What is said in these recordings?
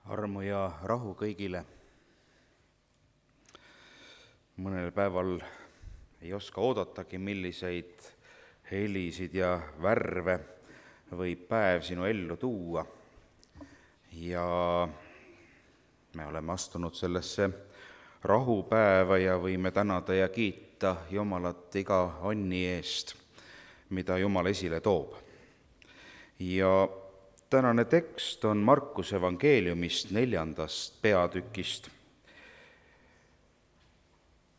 Armu ja rahu kõigile. Mõnel päeval ei oska oodatagi, milliseid helisid ja värve võib päev sinu ellu tuua. Ja me oleme astunud sellesse rahupäeva ja võime tänada ja kiita Jumalat iga onni eest, mida Jumal esile toob. Ja tänane tekst on Markuse evangeeliumist 4. peatükist,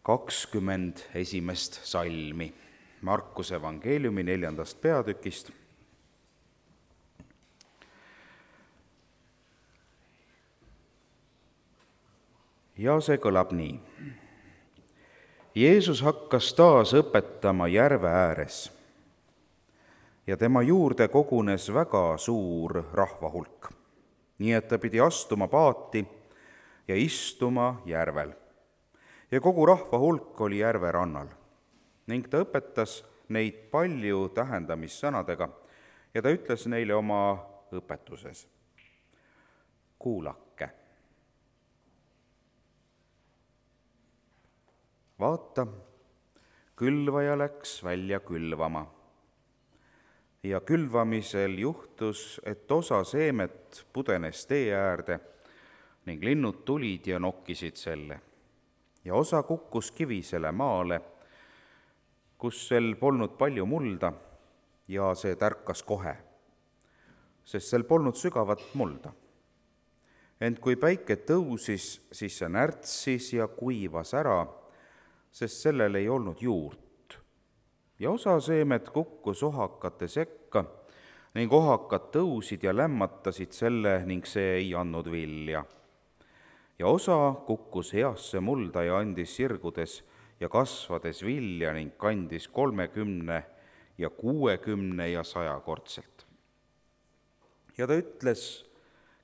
21. salmi. Markuse evangeeliumi 4. peatükist. Ja see kõlab nii. Jeesus hakkas taas õpetama järve ääres ja tema juurde kogunes väga suur rahvahulk, nii et ta pidi astuma paati ja istuma järvel. Ja kogu rahvahulk oli järve rannal ning ta õpetas neid palju tähendamissõnadega ja ta ütles neile oma õpetuses: kuulake. Vaata, külvaja läks välja külvama. Ja külvamisel juhtus, et osa seemet pudenes tee äärde ning linnud tulid ja nokkisid selle. Ja osa kukkus kivisele maale, kus sel polnud palju mulda, ja see tärkas kohe, sest sel polnud sügavat mulda. Ent kui päike tõusis, siis see närtsis ja kuivas ära, sest sellel ei olnud juurt. Ja osa seemet kukkus ohakate sekka ning ohakad tõusid ja lämmatasid selle ning see ei andnud vilja. Ja osa kukkus heasse mulda ja andis sirgudes ja kasvades vilja ning kandis 30 ja 60 ja 100-kordselt. Ja ta ütles,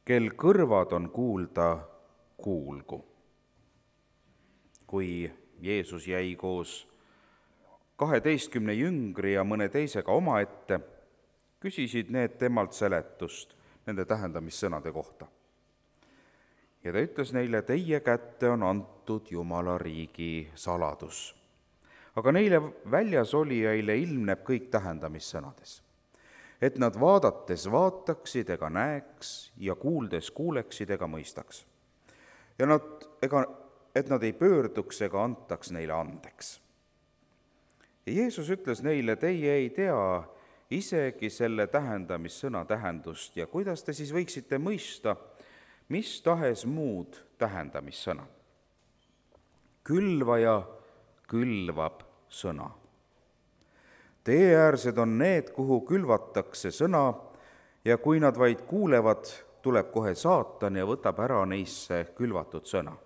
kel kõrvad on kuulda, kuulgu. Kui Jeesus jäi koos 12 jüngri ja mõne teisega omaette, küsisid need temalt seletust nende tähendamissõnade kohta. Ja ta ütles neile, teie kätte on antud Jumala riigi saladus. Aga neile väljas olijaile ilmneb kõik tähendamissõnades, et nad vaadates vaataksid ega näeks ja kuuldes kuuleksid ega mõistaks. Ja et nad ei pöörduks ega antaks neile andeks. Ja Jeesus ütles neile, teie ei tea isegi selle tähendamissõna tähendust ja kuidas te siis võiksite mõista mis tahes muud tähendamissõna. Külvaja külvab sõna. Teeäärsed on need, kuhu külvatakse sõna ja kui nad vaid kuulevad, tuleb kohe saatan ja võtab ära neisse külvatud sõna.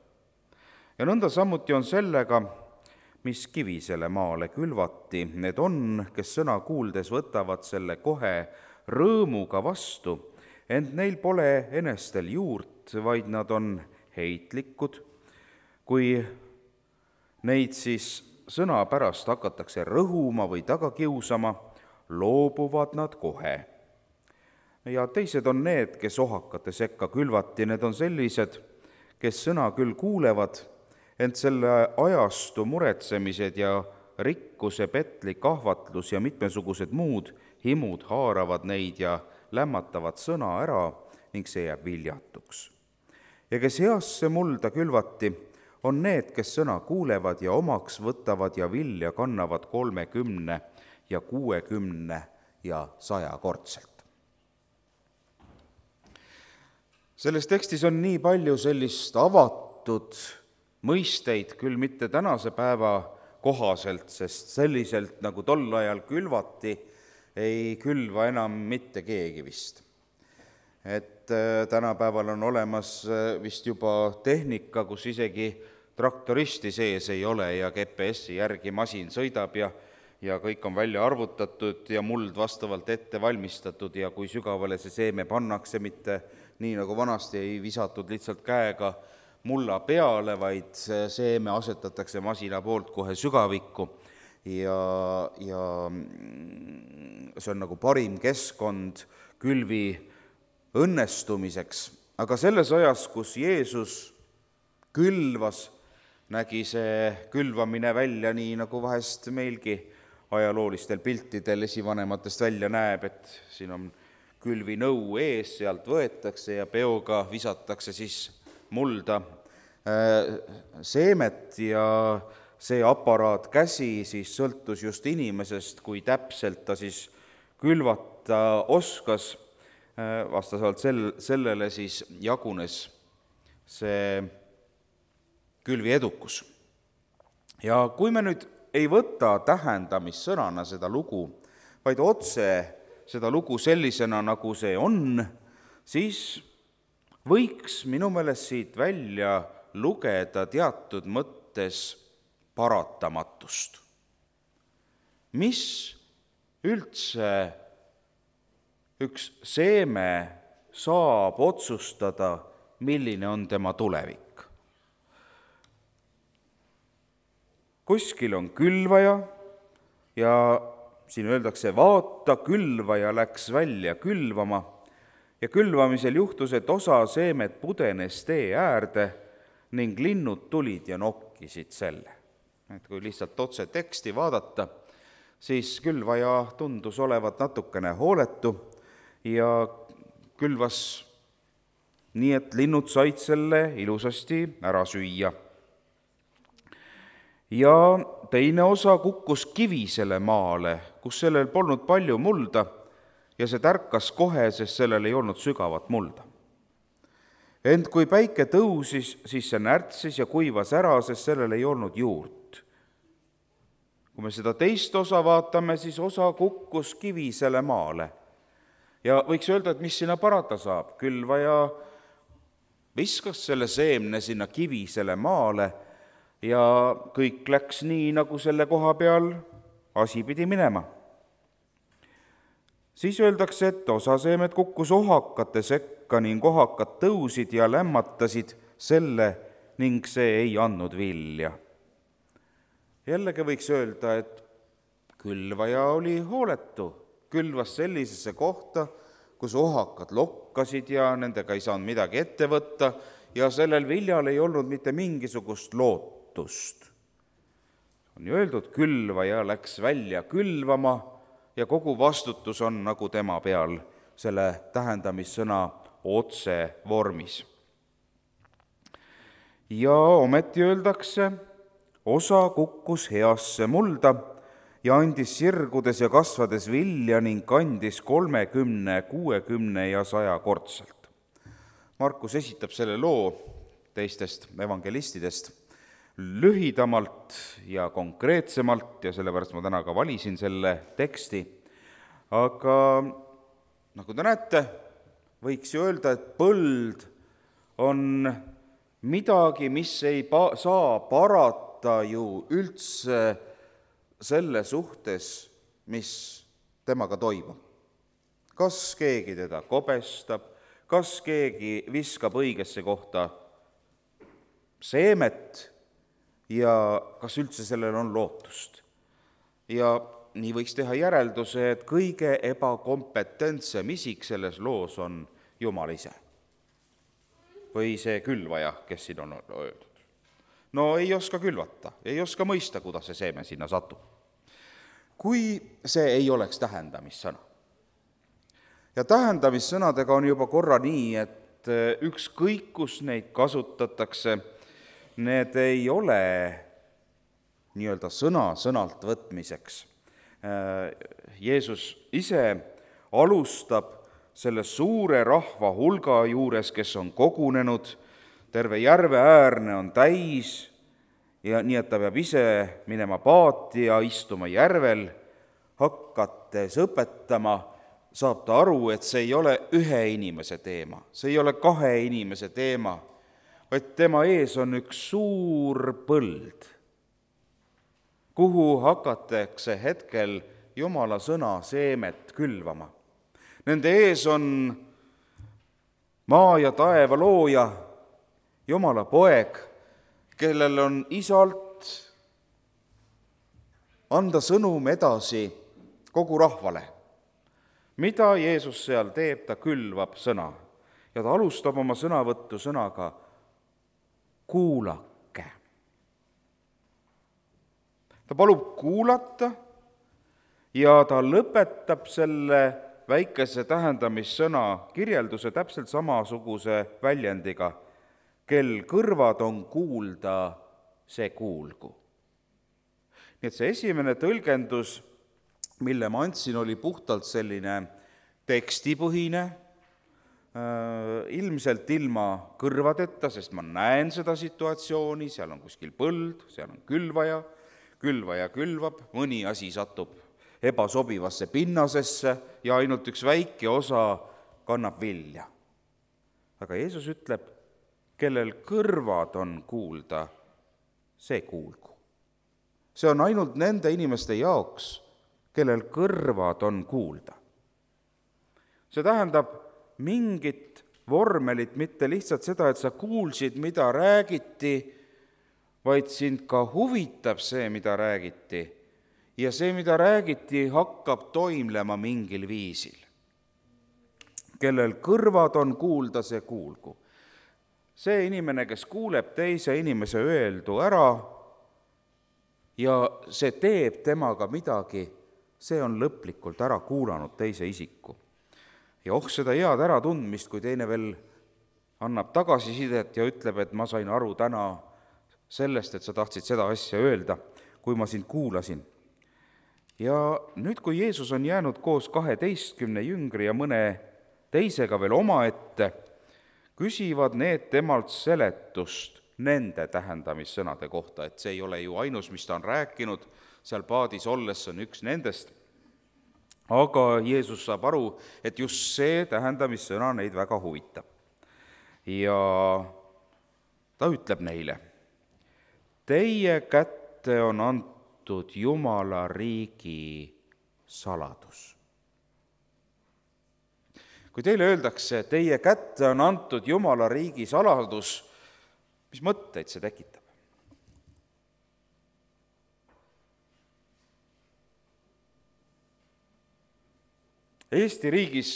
Ja nõnda samuti on sellega, mis kivisele maale külvati, need on, kes sõna kuuldes võtavad selle kohe rõõmuga vastu, ent neil pole enestel juurt, vaid nad on heitlikud. Kui neid siis sõna pärast hakatakse rõhuma või taga kiusama, loobuvad nad kohe. Ja teised on need, kes ohakate sekka külvati, need on sellised, kes sõna küll kuulevad, ent selle ajastu muretsemised ja rikkuse petlik ahvatlus ja mitmesugused muud himud haaravad neid ja lämmatavad sõna ära ning see jääb viljatuks. Ja kes heasse mulda külvati, on need, kes sõna kuulevad ja omaks võtavad ja vilja kannavad 30 ja 60 ja 100-kordselt. Selles tekstis on nii palju sellist avatud mõisteid, küll mitte tänase päeva kohaselt, sest selliselt, nagu tol ajal külvati, ei külva enam mitte keegi vist. Et tänapäeval on olemas vist juba tehnika, kus isegi traktoristi sees ei ole ja GPS-i järgi masin sõidab ja kõik on välja arvutatud ja muld vastavalt ette valmistatud ja kui sügavale see seeme pannakse, mitte nii nagu vanasti ei visatud lihtsalt käega mulla peale, vaid seeme asetatakse masina poolt kohe sügavikku ja see on nagu parim keskkond külvi õnnestumiseks. aga selles ajas, kus Jeesus külvas, nägi see külvamine välja nii, nagu vahest meilgi ajaloolistel piltidel esivanematest välja näeb, et siin on külvinõu ees, sealt võetakse ja peoga visatakse siis mulda seemet ja see aparaat käsi siis sõltus just inimesest, kui täpselt ta siis külvata oskas, vastavalt sellele siis jagunes see külvi edukus. Ja kui me nüüd ei võta tähendamissõnana seda lugu, vaid otse seda lugu sellisena, nagu see on, siis võiks minu meelest siit välja lugeda teatud mõttes paratamatust. Mis üldse üks seeme saab otsustada, milline on tema tulevik? Kuskil on külvaja ja siin öeldakse, vaata, külvaja läks välja külvama ja külvamisel juhtus, et osa seemet pudenes tee äärde ning linnud tulid ja nokkisid selle. Et kui lihtsalt otse teksti vaadata, siis külvaja tundus olevat natukene hooletu ja külvas nii, et linnud said selle ilusasti ära süüa. Ja teine osa kukkus kivisele maale, kus sellel polnud palju mulda ja see tärkas kohe, sest sellel ei olnud sügavat mulda. Ent kui päike tõusis, siis see närtsis ja kuivas ära, sest sellel ei olnud juurt. Kui me seda teist osa vaatame, siis osa kukkus kivisele maale. Ja võiks öelda, et mis sinna parata saab. Külvaja viskas selle seemne sinna kivisele maale ja kõik läks nii, nagu selle koha peal asi pidi minema. Siis öeldakse, et osa seemet kukkus ohakate sekka ning ohakad tõusid ja lämmatasid selle ning see ei andnud vilja. Jällegi võiks öelda, et külvaja oli hooletu, külvas sellisesse kohta, kus ohakad lokkasid ja nendega ei saanud midagi ette võtta ja sellel viljal ei olnud mitte mingisugust lootust. On ju öeldud, külvaja läks välja külvama ja kogu vastutus on nagu tema peal selle tähendamissõna otse vormis. Ja ometi öeldakse, osa kukkus heasse mulda ja andis sirgudes ja kasvades vilja ning kandis 30, 60 ja 100 kordselt. Markus esitab selle loo teistest evangelistidest lühidamalt ja konkreetsemalt ja sellepärast ma täna ka valisin selle teksti. Aga nagu te näete, võiks ju öelda, et põld on midagi, mis ei saa parata ju üldse selle suhtes, mis temaga toimub. Kas keegi teda kobestab, kas keegi viskab õigesse kohta seemet ja kas üldse sellel on lootust. Ja nii võiks teha järelduse, et kõige ebakompetentsem isik selles loos on Jumal ise. Või see külvaja, kes siin on öeldud. No ei oska külvata, ei oska mõista, kuidas see seeme sinna satub. Kui see ei oleks tähendamissõna. Ja tähendamissõnadega on juba korra nii, et ükskõik, kus neid kasutatakse, need ei ole nii-öelda sõnalt võtmiseks. Jeesus ise alustab selle suure rahva hulga juures, kes on kogunenud, terve järve äärne on täis ja nii, et ta peab ise minema paati ja istuma järvel, hakates õpetama, saab ta aru, et see ei ole ühe inimese teema, see ei ole kahe inimese teema, vaid tema ees on üks suur põld, kuhu hakatakse hetkel Jumala sõna seemet külvama. Nende ees on maa ja taeva looja, Jumala poeg, kellel on isalt anda sõnum edasi kogu rahvale. Mida Jeesus seal teeb, ta külvab sõna. ja ta alustab oma sõnavõttu sõnaga kuulake. Ta palub kuulata ja ta lõpetab selle väikese tähendamissõna kirjelduse täpselt samasuguse väljendiga, kel kõrvad on kuulda, see kuulgu. Nii et see esimene tõlgendus, mille ma andsin, oli puhtalt selline tekstipõhine, ilmselt ilma kõrvadeta, sest ma näen seda situatsiooni, seal on kuskil põld, seal on külvaja külvab, mõni asi satub ebasobivasse pinnasesse ja ainult üks väike osa kannab vilja. Aga Jeesus ütleb, kellel kõrvad on kuulda, see kuulgu. See on ainult nende inimeste jaoks, kellel kõrvad on kuulda. See tähendab mingit vormelit, mitte lihtsalt seda, et sa kuulsid, mida räägiti, vaid sind ka huvitab see, mida räägiti, ja see, mida räägiti, hakkab toimlema mingil viisil. Kellel kõrvad on kuulda, see kuulgu. See inimene, kes kuuleb teise inimese öeldu ära ja see teeb temaga midagi, see on lõplikult ära kuulanud teise isiku. Ja seda head äratundmist, kui teine veel annab tagasisidet ja ütleb, et ma sain aru täna sellest, et sa tahtsid seda asja öelda, kui ma sind kuulasin. Ja nüüd, kui Jeesus on jäänud koos 12 jüngri ja mõne teisega veel omaette, küsivad need temalt seletust nende tähendamissõnade kohta, et see ei ole ju ainus, mis ta on rääkinud, seal paadis olles on üks nendest. Aga Jeesus saab aru, et just see tähendamissõna neid väga huvitab. Ja ta ütleb neile, teie kätte on antud Jumala riigi saladus. Kui teile öeldakse, teie kätte on antud Jumala riigi saladus, mis mõtteid see tekitab? Eesti riigis,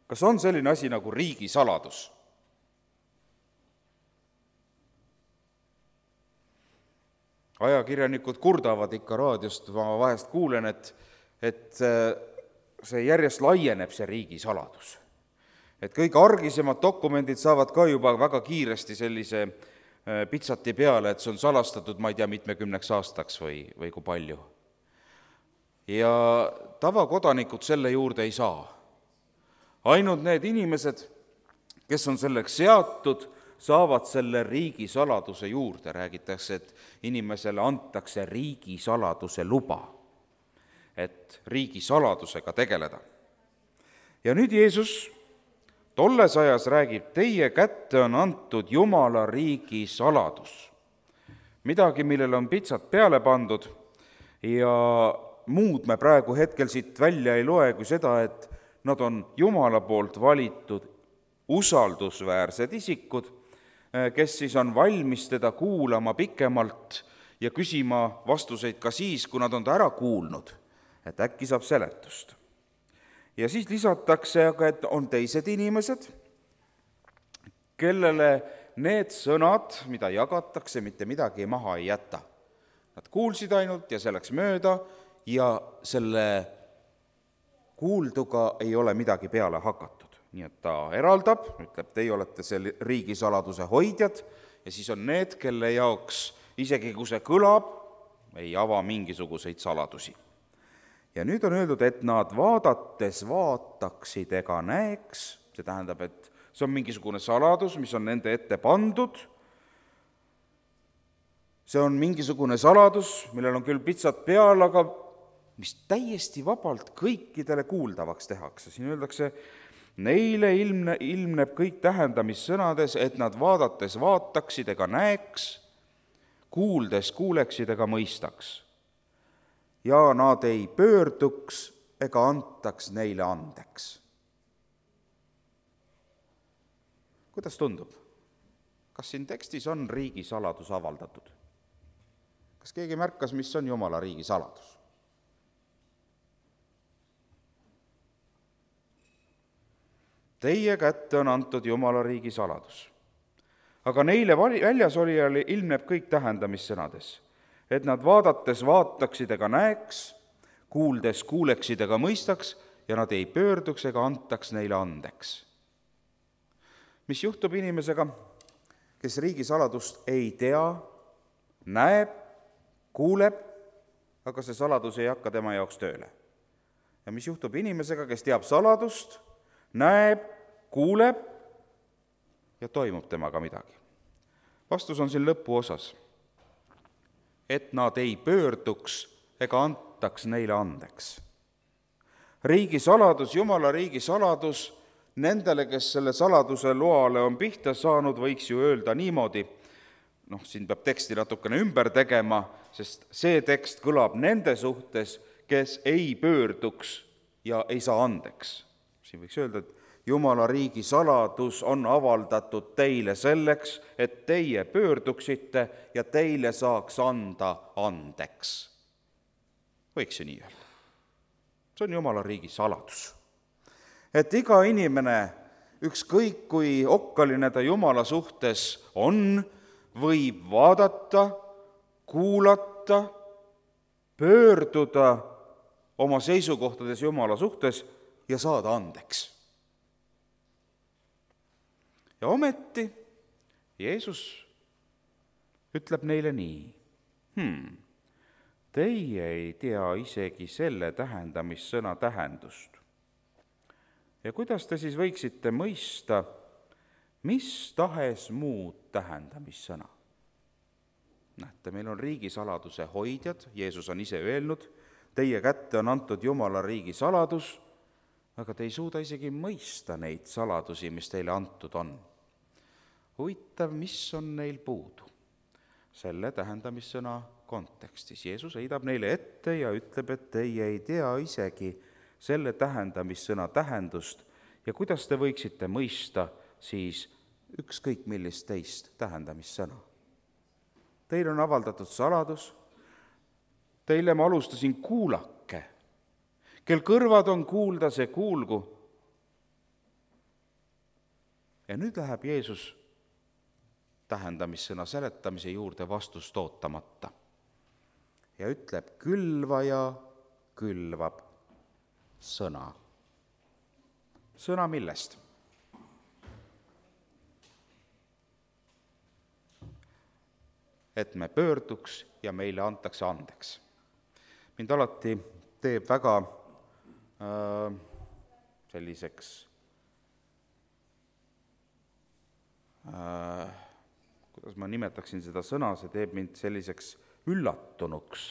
kas on selline asi nagu riigisaladus? Ajakirjanikud kurdavad ikka raadiost, ma vahest kuulen, et see järjest laieneb, see riigisaladus. Et kõik argisemad dokumendid saavad ka juba väga kiiresti sellise pitsati peale, et see on salastatud, ma ei tea, mitmekümneks aastaks või kui palju. Ja tavakodanikud selle juurde ei saa. Ainult need inimesed, kes on selleks seatud, saavad selle riigisaladuse juurde. Räägitakse, et inimesele antakse riigisaladuse luba, et riigisaladusega tegeleda. Ja nüüd Jeesus tolles ajas räägib, teie kätte on antud Jumala riigi saladus. Midagi, millele on pitsat peale pandud ja muud me praegu hetkel siit välja ei loe kui seda, et nad on Jumala poolt valitud usaldusväärsed isikud, kes siis on valmis teda kuulama pikemalt ja küsima vastuseid ka siis, kui nad on ta ära kuulnud, et äkki saab seletust. Ja siis lisatakse aga, et on teised inimesed, kellele need sõnad, mida jagatakse, mitte midagi maha ei jäta. Nad kuulsid ainult ja see läks mööda ja selle kuulduga ei ole midagi peale hakatud. Nii et ta eraldab, ütleb, teie olete see riigisaladuse hoidjad ja siis on need, kelle jaoks isegi kui see kõlab, ei ava mingisuguseid saladusi. Ja nüüd on öeldud, et nad vaadates vaataksid ega näeks, see tähendab, et see on mingisugune saladus, mis on nende ette pandud, see on mingisugune saladus, millel on küll pitsat peal, aga mis täiesti vabalt kõikidele kuuldavaks tehakse. Siin öeldakse, neile ilmneb kõik tähendamissõnades, et nad vaadates vaataksid ega näeks, kuuldes kuuleksid ega mõistaks. Ja nad ei pöörduks ega antaks neile andeks. Kuidas tundub? Kas siin tekstis on riigisaladus avaldatud? Kas keegi märkas, mis on Jumala riigisaladus? teie kätte on antud Jumala riigi saladus. Aga neile väljas olijale ilmneb kõik tähendamissõnades, et nad vaadates vaataksid ega näeks, kuuldes kuuleksid ega mõistaks ja nad ei pöörduks ega antaks neile andeks. Mis juhtub inimesega, kes riigisaladust ei tea, näeb, kuuleb, aga see saladus ei hakka tema jaoks tööle. Ja mis juhtub inimesega, kes teab saladust, näeb, kuuleb ja toimub temaga midagi? Vastus on siin lõpuosas, et nad ei pöörduks ega antaks neile andeks. Riigisaladus, Jumala riigisaladus, nendele, kes selle saladuse loale on pihta saanud, võiks ju öelda niimoodi, siin peab teksti natukene ümber tegema, sest see tekst kõlab nende suhtes, kes ei pöörduks ja ei saa andeks. Siin võiks öelda, et Jumala riigi saladus on avaldatud teile selleks, et teie pöörduksite ja teile saaks anda andeks. Võiks ju nii öelda. See on Jumala riigi saladus. Et iga inimene, ükskõik kui okkaline ta Jumala suhtes on, võib vaadata, kuulata, pöörduda oma seisukohtades Jumala suhtes ja saada andeks. Ja ometi Jeesus ütleb neile nii, teie ei tea isegi selle tähendamissõna tähendust. Ja kuidas te siis võiksite mõista, mis tahes muud tähendamissõna? Näete, meil on riigisaladuse hoidjad, Jeesus on ise öelnud, teie kätte on antud Jumala riigi saladus, aga te ei suuda isegi mõista neid saladusi, mis teile antud on. Huvitav, mis on neil puudu? Selle tähendamissõna kontekstis. Jeesus heidab neile ette ja ütleb, et teie ei tea isegi selle tähendamissõna tähendust ja kuidas te võiksite mõista siis ükskõik millist teist tähendamissõna. Teil on avaldatud saladus, teile ma alustasin kuulake, kel kõrvad on kuulda, see kuulgu. Ja nüüd läheb Jeesus tähendamissõna seletamise juurde vastust ootamata ja ütleb, külvaja külvab sõna. Sõna millest? Et me pöörduks ja meile antakse andeks. Mind alati teeb väga selliseks kuidas ma nimetaksin seda sõna, see teeb mind selliseks üllatunuks.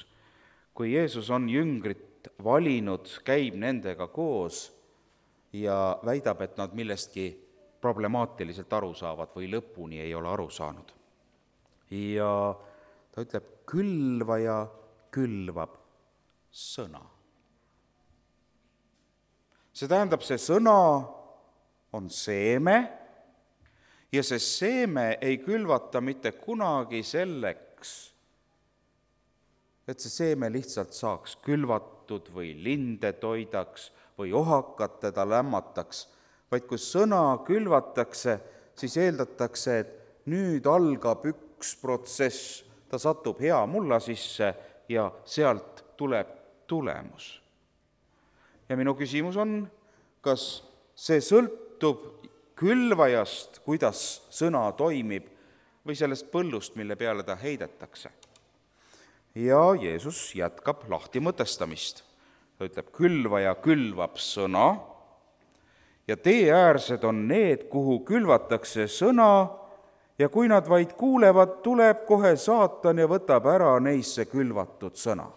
Kui Jeesus on jüngrit valinud, käib nendega koos ja väidab, et nad millestki problemaatiliselt aru saavad või lõpuni ei ole aru saanud. Ja ta ütleb, külvaja külvab sõna. See tähendab, see sõna on seeme ja see seeme ei külvata mitte kunagi selleks, et see seeme lihtsalt saaks külvatud või linde toidaks või ohakat teda lämmataks, vaid kui sõna külvatakse, siis eeldatakse, et nüüd algab üks protsess, ta satub hea mulla sisse ja sealt tuleb tulemus. Ja minu küsimus on, kas see sõltub külvajast, kuidas sõna toimib, või sellest põllust, mille peale ta heidetakse. Ja Jeesus jätkab lahti mõtestamist. Ta ütleb, külvaja külvab sõna ja teeäärsed on need, kuhu külvatakse sõna ja kui nad vaid kuulevad, tuleb kohe saatan ja võtab ära neisse külvatud sõna.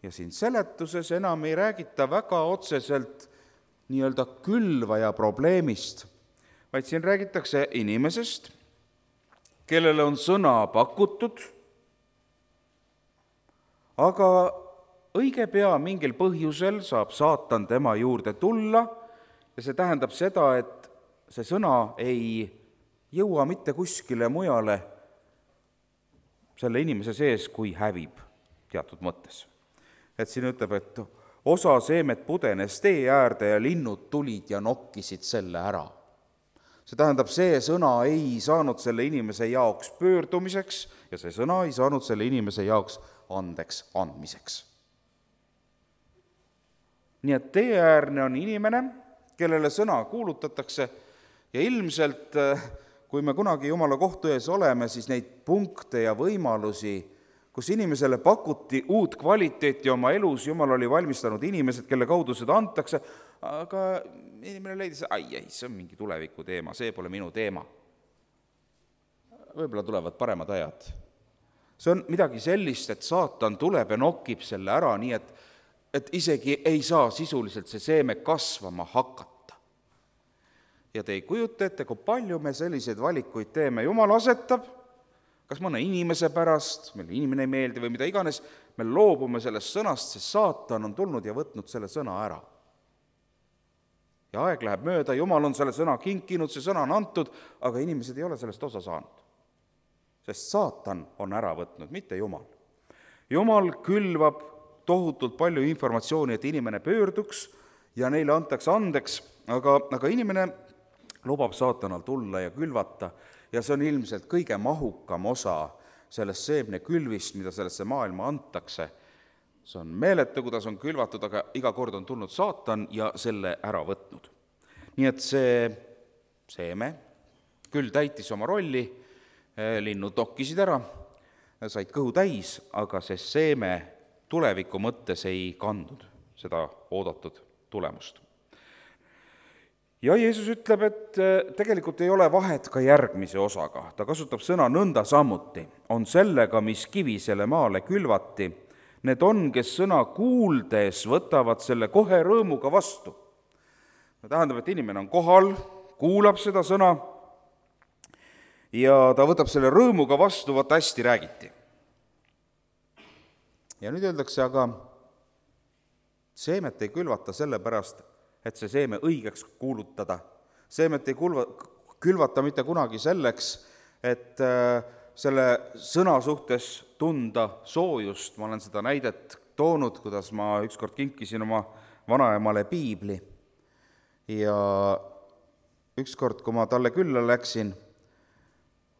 Ja siin seletuses enam ei räägita väga otseselt nii-öelda külvaja probleemist, vaid siin räägitakse inimesest, kellele on sõna pakutud, aga õige pea mingil põhjusel saab saatan tema juurde tulla ja see tähendab seda, et see sõna ei jõua mitte kuskile mujale selle inimese sees, kui hävib teatud mõttes. Et siin ütleb, et osa seemet pudenes tee äärde ja linnud tulid ja nokkisid selle ära. See tähendab, see sõna ei saanud selle inimese jaoks pöördumiseks ja see sõna ei saanud selle inimese jaoks andeks andmiseks. Nii et teeäärne on inimene, kellele sõna kuulutatakse ja ilmselt, kui me kunagi Jumala kohtu ees oleme, siis neid punkte ja võimalusi, kus inimesele pakuti uut kvaliteeti oma elus, Jumal oli valmistanud inimesed, kelle kaudu seda antakse, aga inimene leidis, see on mingi tuleviku teema, see pole minu teema. Võib-olla tulevad paremad ajad. See on midagi sellist, et saatan tuleb ja nokib selle ära, nii et isegi ei saa sisuliselt see seeme kasvama hakata. Ja te ei kujuta ette, kui palju me selliseid valikuid teeme. Jumal asetab, kas mõne inimese pärast, meile inimene ei meeldi või mida iganes, me loobume sellest sõnast, sest saatan on tulnud ja võtnud selle sõna ära. Ja aeg läheb mööda, Jumal on selle sõna kinkinud, see sõna on antud, aga inimesed ei ole sellest osa saanud. Sest saatan on ära võtnud, mitte Jumal. Jumal külvab tohutult palju informatsiooni, et inimene pöörduks ja neile antakse andeks, aga inimene lubab saatanal tulla ja külvata ja see on ilmselt kõige mahukam osa sellest seemne külvist, mida sellesse maailma antakse. See on meeletu, kuidas on külvatud, aga iga kord on tulnud saatan ja selle ära võtnud. Nii et see seeme küll täitis oma rolli, linnud nokkisid ära, said kõhu täis, aga see seeme tuleviku mõttes ei kandnud seda oodatud tulemust. Ja Jeesus ütleb, et tegelikult ei ole vahet ka järgmise osaga. Ta kasutab sõna nõnda samuti. On sellega, mis kivisele maale külvati. Need on, kes sõna kuuldes võtavad selle kohe rõõmuga vastu. Tähendab, et inimene on kohal, kuulab seda sõna ja ta võtab selle rõõmuga vastu, vaata hästi räägiti. Ja nüüd öeldakse, aga seemet ei külvata sellepärast, et see seeme õigeks kuulutada. Seemet ei külvata mitte kunagi selleks, et selle sõna suhtes tunda soojust. Ma olen seda näidet toonud, kuidas ma ükskord kinkisin oma vanaemale piibli. Ja ükskord, kui ma talle külla läksin,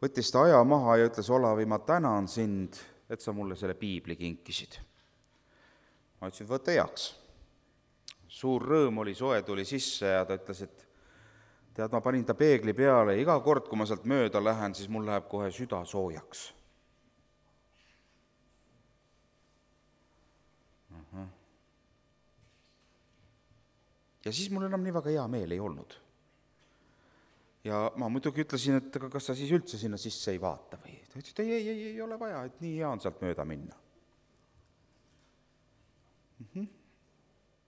võttis ta aja maha ja ütles, Olavi, ma tänan sind, et sa mulle selle piibli kinkisid. Ma ütlesin, võta heaks. Suur rõõm oli, soe tuli sisse ja ta ütles, et tead, ma panin ta peegli peale ja iga kord, kui ma sealt mööda lähen, siis mul läheb kohe süda soojaks. Ja siis mul enam nii väga hea meel ei olnud. Ja ma muidugi ütlesin, et kas sa siis üldse sinna sisse ei vaata või? Ta ütles, et ei ole vaja, et nii hea on sealt mööda minna.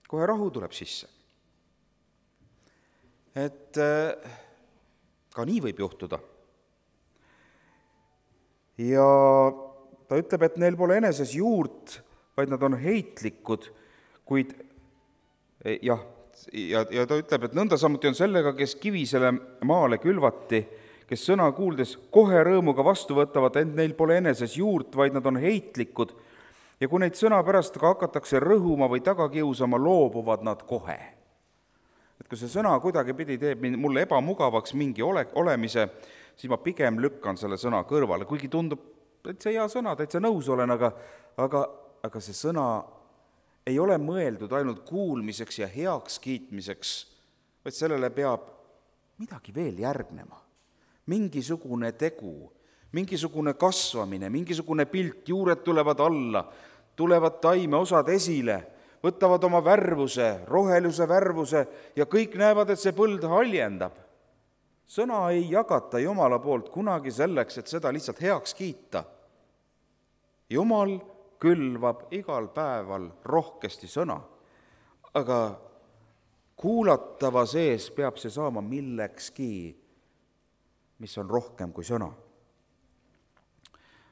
Kohe rahu tuleb sisse. Et ka nii võib juhtuda. Ja ta ütleb, et neil pole eneses juurt, vaid nad on heitlikud, kuid ja ta ütleb, et nõnda samuti on sellega, kes kivisele maale külvati, kes sõna kuuldes kohe rõõmuga vastu võtavad, ent neil pole eneses juurt, vaid nad on heitlikud, ja kui neid sõna pärast ka hakatakse rõhuma või tagakiusama, loobuvad nad kohe. Et kui see sõna kuidagi pidi teeb mulle ebamugavaks mingi olemise, siis ma pigem lükkan selle sõna kõrvale, kuigi tundub, et see hea sõna, täitsa nõus olen, aga see sõna ei ole mõeldud ainult kuulmiseks ja heaks kiitmiseks, vaid sellele peab midagi veel järgnema. Mingisugune tegu, mingisugune kasvamine, mingisugune pilt, juured tulevad alla, tulevad taimeosad esile, võtavad oma värvuse, roheluse värvuse ja kõik näevad, et see põld haljendab. Sõna ei jagata Jumala poolt kunagi selleks, et seda lihtsalt heaks kiita. Jumal külvab igal päeval rohkesti sõna, aga kuulatava sees peab see saama millekski, mis on rohkem kui sõna.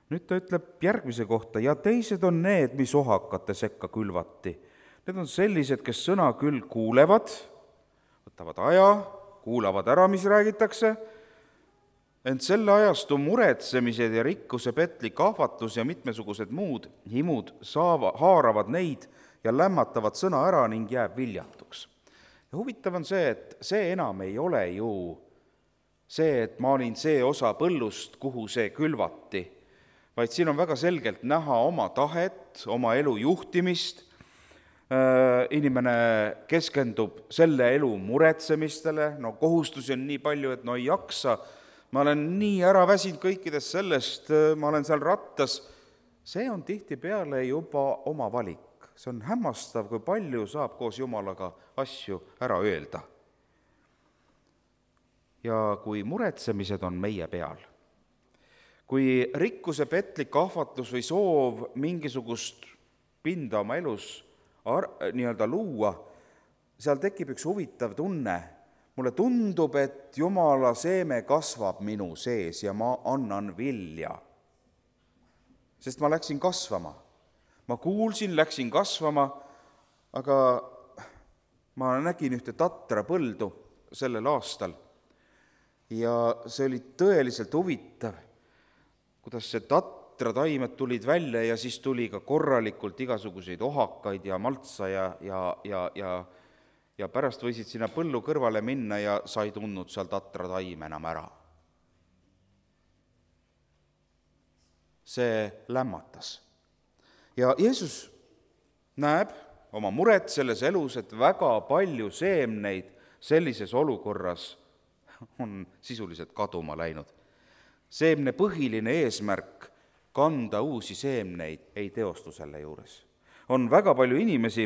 Nüüd ta ütleb järgmise kohta, ja teised on need, mis ohakate sekka külvati. Need on sellised, kes sõna küll kuulevad, võtavad aja, kuulavad ära, mis räägitakse, ent selle ajastu muretsemised ja rikkuse petlik ahvatlus ja mitmesugused muud himud haaravad neid ja lämmatavad sõna ära ning jääb viljatuks. Ja huvitav on see, et see enam ei ole ju see, et ma olin see osa põllust, kuhu see külvati, vaid siin on väga selgelt näha oma tahet, oma elu juhtimist. Inimene keskendub selle elu muretsemistele, kohustusi on nii palju, et ei jaksa, ma olen nii ära väsinud kõikidest sellest, ma olen seal rattas. See on tihtipeale juba oma valik. See on hämmastav, kui palju saab koos Jumalaga asju ära öelda. Ja kui muretsemised on meie peal, kui rikkuse petlik ahvatlus või soov mingisugust pinda oma elus luua, seal tekib üks huvitav tunne. Mulle tundub, et Jumala seeme kasvab minu sees ja ma annan vilja. Sest ma läksin kasvama. Ma kuulsin, läksin kasvama, aga ma nägin ühte tatra põldu sellel aastal. Ja see oli tõeliselt huvitav, kuidas see tatra taimed tulid välja ja siis tuli ka korralikult igasuguseid ohakaid ja maltsa ja pärast võisid sinna põllu kõrvale minna ja sa ei tundnud seal tatra taim enam ära. See lämmatas. Ja Jeesus näeb oma muret selles elus, et väga palju seemneid sellises olukorras on sisuliselt kaduma läinud. Seemne põhiline eesmärk kanda uusi seemneid ei teostu selle juures. On väga palju inimesi,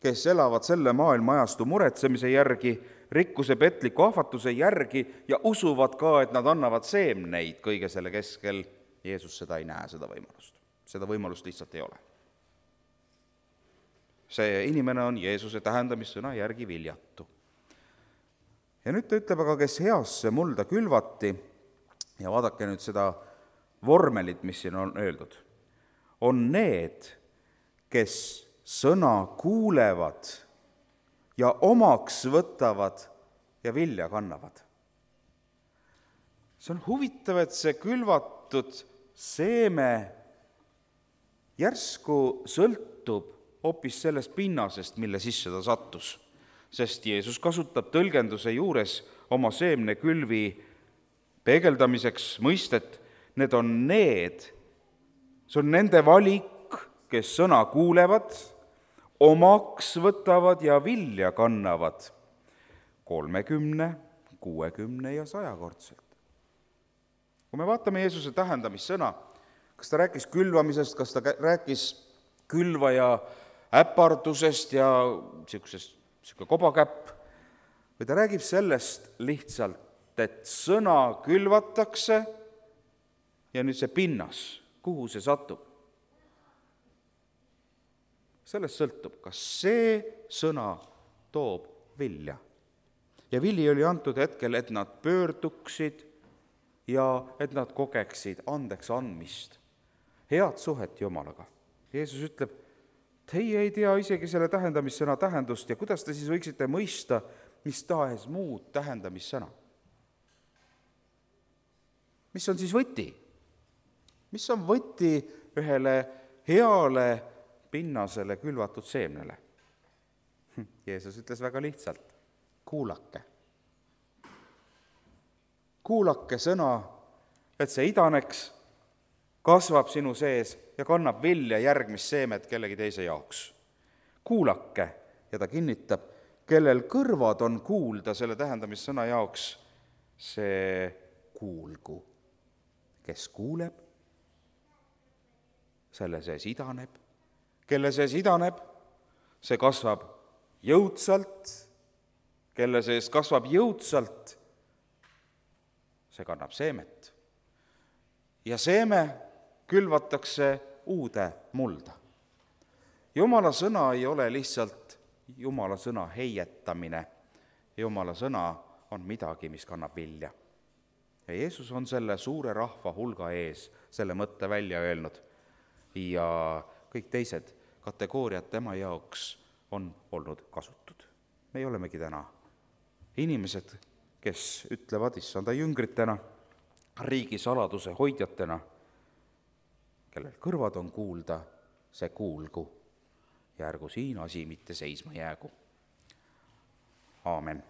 kes elavad selle maailmaajastu muretsemise järgi, rikkuse petliku ahvatluse järgi ja usuvad ka, et nad annavad seemneid kõige selle keskel. Jeesus seda ei näe, seda võimalust. Seda võimalust lihtsalt ei ole. See inimene on Jeesuse tähendamissõna järgi viljatu. Ja nüüd ta ütleb, aga kes heasse mulda külvati, ja vaadake nüüd seda vormelit, mis siin on öeldud, on need, kes sõna kuulevad ja omaks võtavad ja vilja kannavad. See on huvitav, et see külvatud seeme järsku sõltub hoopis sellest pinnasest, mille sisse ta sattus, sest Jeesus kasutab tõlgenduse juures oma seemnekülvi peegeldamiseks mõistet, need on need, see on nende valik, kes sõna kuulevad, omaks võtavad ja vilja kannavad 30, 60 ja 100-kordselt. Kui me vaatame Jeesuse tähendamissõna, kas ta rääkis külvamisest, kas ta rääkis külvaja äpardusest ja niisugune kobakäpp, või ta räägib sellest lihtsalt, et sõna külvatakse ja nüüd see pinnas, kuhu see satub. Sellest sõltub, kas see sõna toob vilja. Ja vili oli antud hetkel, et nad pöörduksid ja et nad kogeksid andeks andmist, head suhet Jumalaga. Jeesus ütleb, teie ei tea isegi selle tähendamissõna tähendust ja kuidas te siis võiksite mõista mis tahes muud tähendamissõna. Mis on siis võti? Mis on võti ühele heale pinnasele külvatud seemnele? Jeesus ütles väga lihtsalt, kuulake. Kuulake sõna, et see idaneks, kasvab sinu sees ja kannab vilja järgmist seemet kellegi teise jaoks. Kuulake, ja ta kinnitab, kellel kõrvad on kuulda selle tähendamissõna jaoks, see kuulgu. Kes kuuleb, selle sees idaneb. Kelle sees idaneb, see kasvab jõudsalt. Kelle sees kasvab jõudsalt, see kannab seemet. Ja seeme külvatakse uude mulda. Jumala sõna ei ole lihtsalt Jumala sõna heietamine. Jumala sõna on midagi, mis kannab vilja. Ja Jeesus on selle suure rahva hulga ees selle mõtte välja öelnud. Ja kõik teised kategooriad tema jaoks on olnud kasutud. Me olemegi täna inimesed, kes ütlevad issanda jüngritena, riigi saladuse hoidjatena, kellel kõrvad on kuulda, see kuulgu. ja ärgu siin asi mitte seisma jäägu. Aamen.